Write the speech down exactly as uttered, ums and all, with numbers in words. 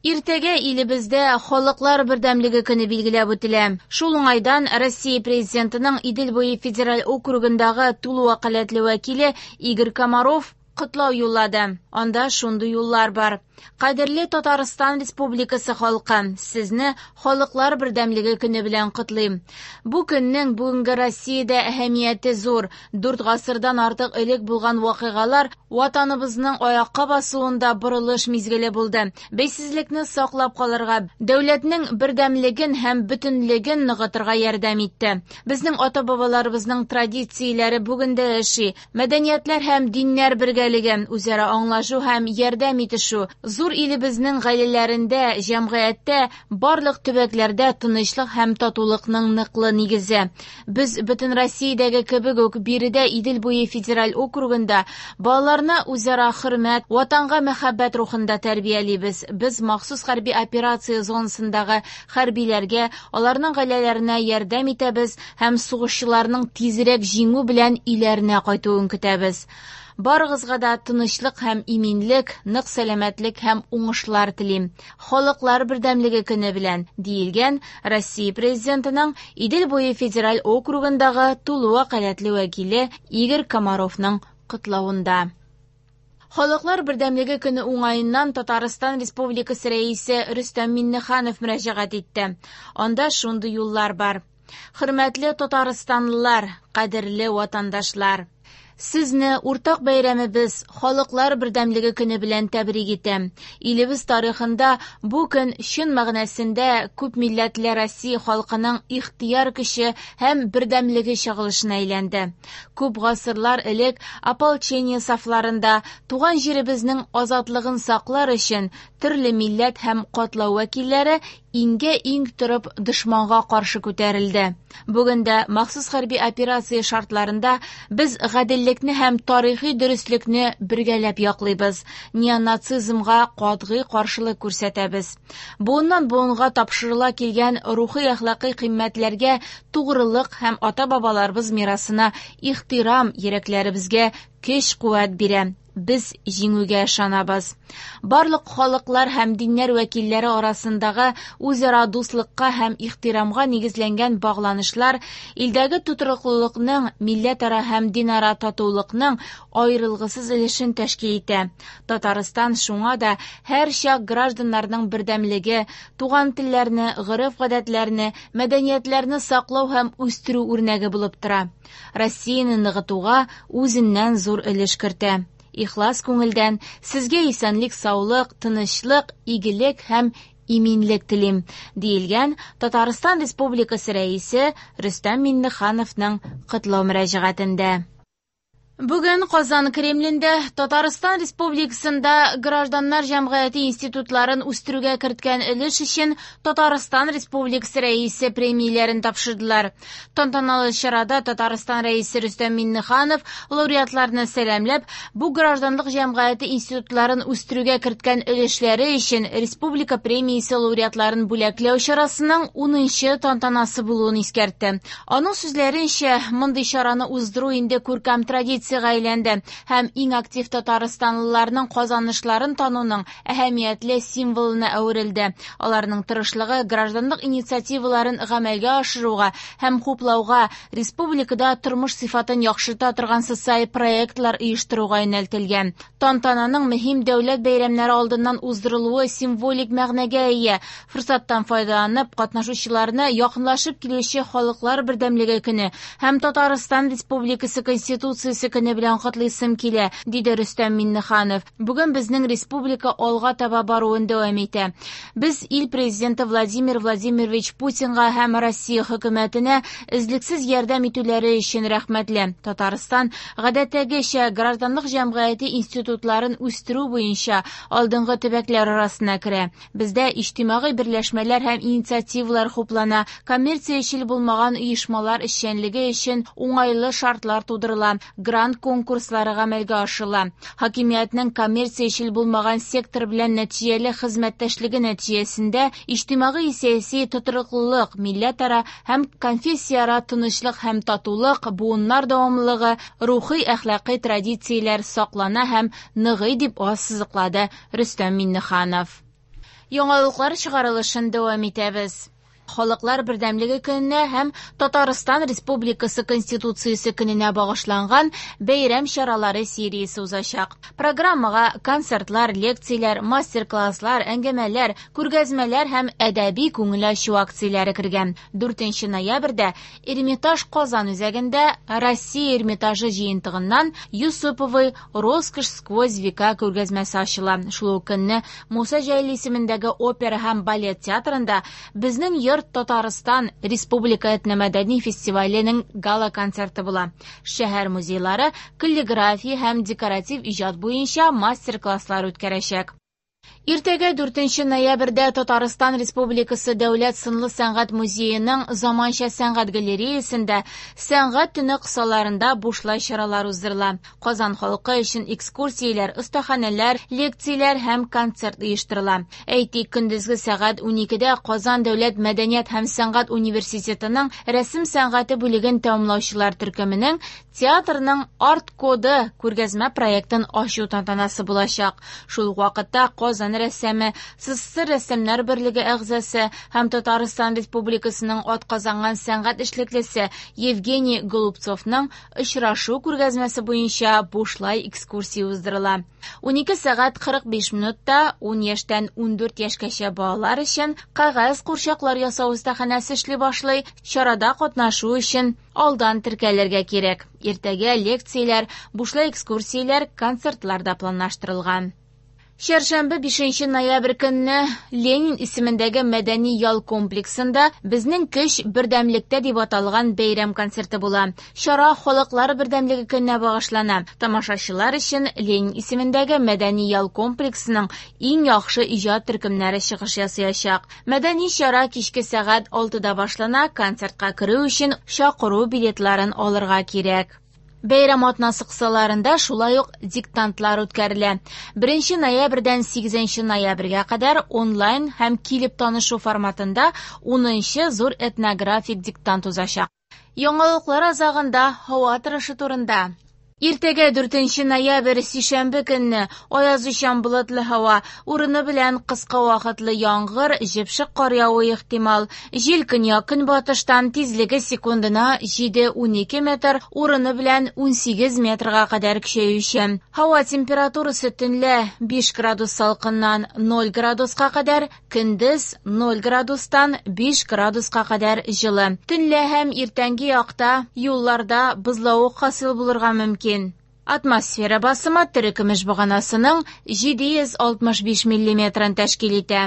Иртәгә илебездә Халыклар бердәмлеге көне билгеләп үтелә. Шул уңайдан Россия Президентының Идел буе федераль округындагы тулы вәкаләтле вәкиле Игорь Комаров котлау юллады. Анда шундый юллар бар. Кадерле Татарстан Республикасы халкы, сезне Халыклар бердәмлеге көне белән котлыйм. Бу көннең бүгенге Россиядә әһәмияте зур. Дүрт гасырдан артык элек булган вакыйгалар Ватаныбызның аякка басуында борылыш мизгеле булды. Бәйсезлекне саклап калырга, дәүләтнең бердәмлеген һәм бөтенлеген ныгытырга ярдәм итте. Безнең ата-бабаларыбызның традицияләре бүген дә яши. Мәдәниятләр һәм диннәр бергәлеге, үзара аңлашу һәм ярдәм итешү, зур илебезнең гаиләләрендә, җәмгыятьтә, барлык төбәкләрдә тынычлык һәм татулыкның ныклы нигезе. Без бөтен Россиядәге кебек үк биредә Идел буе федераль округында балаларны үзара хөрмәт, ватанга мәхәббәт рухында тәрбиялибез. Без махсус хәрби операция зонасындагы хәрбиләргә, аларның гаиләләренә ярдәм итәбез һәм сугышчыларның тизрәк җиңү белән өйләренә кайтуын көтәбез. Барыгызга да тынычлык һәм иминлек, нык сәламәтлек һәм уңышлар телим. Халыклар бердәмлеге көне белән, диелгән Россия Президентының Идел буе федераль округындагы тулы вәкаләтле вәкиле Игорь Комаровның котлавында. Халыклар бердәмлеге көне уңаеннан Татарстан Республикасы Рәисе Рөстәм Миңнеханов мөрәҗәгать итте. Анда шундый юллар бар. Хөрмәтле татарстанлылар, кадерле ватандашлар! Сезне уртак бәйрәмебез Халыклар бердәмлеге көне белән тәбрик итәм. Илебез тарихында бу көн чын мәгънәсендә күп милләтле Россия халкының ихтыяр көче һәм бердәмлеге чагылышына әйләнде. Күп гасырлар элек ополчение сафларында туган җиребезнең азатлыгын саклар өчен төрле милләт һәм катлау вәкилләре иңгә-иң торып дошманга каршы күтәрелде. Бүген дә махсус хәрби операция шартларында без гаделлекне һәм тарихи дөреслекне бергәләп яклыйбыз, неонацизмга катгый каршылык күрсәтәбез. Буыннан буынга тапшырыла килгән рухи-әхлакый кыйммәтләргә тугрылык һәм ата-бабаларыбыз мирасына ихтирам йөрәкләребезгә көч-куәт бирә. Без җиңүгә ышанабыз. Барлык халыклар һәм диннәр вәкилләре арасындагы үзара дуслыкка һәм ихтирамга нигезләнгән багланышлар илдәге тотрыклылыкның, милләтара һәм динара татулыкның аерылгысыз өлешен тәшкил итә. Татарстан шуңа да һәрчак гражданнарның бердәмлеге, туган телләрне, гореф-гадәтләрне, мәдәниятләрне саклау һәм үстерү үрнәге булып тора. Россияне ныгытуга үзеннән зур өлеш кертә. Ихлас күңелдән сезгә исәнлек, саулык, тынычлык, игелек һәм иминлек телим, диелгән Татарстан Республикасы Рәисе Рөстәм Миңнехановның котлау мөрәҗәгатендә. Бүген Казан Кремлендә Татарстан Республикасында гражданнар җәмгыяте институтларын үстерүгә керткән өлеш өчен Татарстан Республикасы Рәисе премияләрен тапшырдылар. Тантаналы чарада Татарстан Рәисе Рөстәм Миңнеханов лауреатларны сәламләп, бу гражданлык җәмгыяте институтларын үстерүгә керткән өлешләре өчен Республика премиясе лауреатларын бүләкләү чарасының унынчы тантанасы булуын искәртте. Аның сүзләренчә, мондый чараны уздыру инде күркәм традиция әйләнде һәм иң актив татарстанлыларның казанышларын тануның әһәмиятле символына әверелде. Аларның тырышлыгы гражданлык инициативаларын гамәлгә ашыруга һәм хуплауга, республикада тормыш сыйфатын яхшырта торган социаль проектлар оештыруга юнәлтелгән. Тантананың мөһим дәүләт бәйрәмнәре алдыннан уздырылуы символик мәгънәгә ия. Форсаттан файдаланып, катнашучыларны якынлашып килүче Халыклар бердәмлеге көне һәм Татарстан Республикасы Конституциясе көне белән котлыйсым килә, диде Рөстәм Миңнеханов. Бүген безнең республика алга таба баруын дәвам итә. Без ил президенты Владимир Владимирович Путинга һәм Россия хөкүмәтенә өзлексез ярдәм итүләре өчен рәхмәтле. Татарстан гадәттәгечә гражданлык җәмгыяте институтларын үстерү буенча алдынгы төбәкләр арасына керә. Бездә иҗтимагый берләшмәләр һәм инициативалар хуплана, коммерциячел булмаган оешмалар эшчәнлеге өчен уңайлы шартлар тудырыла, грант конкурслары гамәлгә ашырыла. Хакимиятнең коммерциячел булмаган сектор белән нәтиҗәле хезмәттәшлеге нәтиҗәсендә иҗтимагый сәяси тотрыклылык, милләтара һәм конфессияара тынычлык һәм татулык, буыннар дәвамлылыгы, рухи әхлакый традицияләр саклана һәм ныгый, дип ассызыклады Рөстәм Миңнеханов. Яңалыклар чыгарылышын дәвам итәбез. Халыклар бердәмлеге көненә һәм Татарстан Республикасы Конституциясе көненә багышланган бәйрәм чаралары сериясе узачак. Программага концертлар, лекцияләр, мастер-класслар, әңгәмәләр, күргәзмәләр һәм әдәби күңел ачу акцияләре кергән. дүртенче ноябрьдә Эрмитаж Казан үзәгендә Россия Эрмитажы җыентыгыннан Юсуповы «Роскошь сквозь века» күргәзмәсе ачыла. Шул ук көнне Муса Җәлил исемендәге опера һәм балет театрында «Безнең йорт Татарстан Республика этномәдәни фестиваленең гала-концерты була. Шәһәр музейлары каллиграфия һәм декоратив иҗат буенча мастер-класслар үткәрәчәк. Иртәгә дүртенче ноябрьдә Татарстан Республикасы Дәүләт сынлы сәнгать музееның заманча сәнгать галереясендә сәнгать төне кысаларында бушлай чаралар уздырыла. Казан халкы өчен экскурсияләр, остаханәләр, лекцияләр һәм концерт оештырыла. Әйтик, көндезге сәгать уникедә Казан Дәүләт мәдәният һәм сәнгать университетының рәсем сәнгате бүлеген тәмамлаучылар төркеменең театрның арт-коды күргәзмә проектын ачу тантанасы булачак. Шул ук вакытта Казан рәссамы, СССР рәссамнар берлеге әгъзасы һәм Татарстан Республикасының атказанган сәнгать эшлеклесе Евгений Голубцовның очрашу күргәзмәсе буенча бушлай экскурсия уздырыла. унике сәгать кырык биш минутта ун яшьтән ундүрт яшькәчә балалар өчен кәгазь курчаклар ясау остаханәсе эшли башлый. Чарада катнашу өчен алдан теркәлергә кирәк. Иртәгә лекцияләр, бушлай экскурсияләр, концертлар да планлаштырылган. Чәршәмбе бишенче ноябрь көнне Ленин исемендәге мәдәни ял комплексында «Безнең көч бердәмлектә» дип аталган бәйрәм концерты була. Чара Халыклар бердәмлеге көненә багышлана. Тамашачылар өчен Ленин исемендәге мәдәни ял комплексының иң яхшы иҗат төркемнәре чыгыш ясаячак. Мәдәни чара кичке сәгать алтыда башлана. Концертка керү өчен чакыру билетларын алырга кирәк. Бәйрәм атнасы кысаларында шулай ук диктантлар үткәрелә. Беренче ноябрьдән сигезенче ноябрьгә кадәр онлайн һәм килеп танышу форматында унынчы зур этнографик диктант узачак. Яңалыклар азагында һава торышы турында. Иртәгә дүртенче ноябрь сишәмбе көнне аязучан болытлы һава, урыны белән кыска вакытлы яңгыр, җепшек кар явуы ихтимал. Җил көньяк-көнбатыштан, тизлеге секундына җиде унике метр, урыны белән унсигез метрга кадәр көчәюче. Һава температурасы төнлә биш градус салкыннан ноль градуска кадәр, көндез ноль градустан биш градуска кадәр җылы. Төнлә һәм иртәнге якта юлларда бозлавык хасил булырга мөмкин. Атмосфера басымы терекөмеш баганасының җиде йөз алтмыш биш миллиметрын тәшкил итә.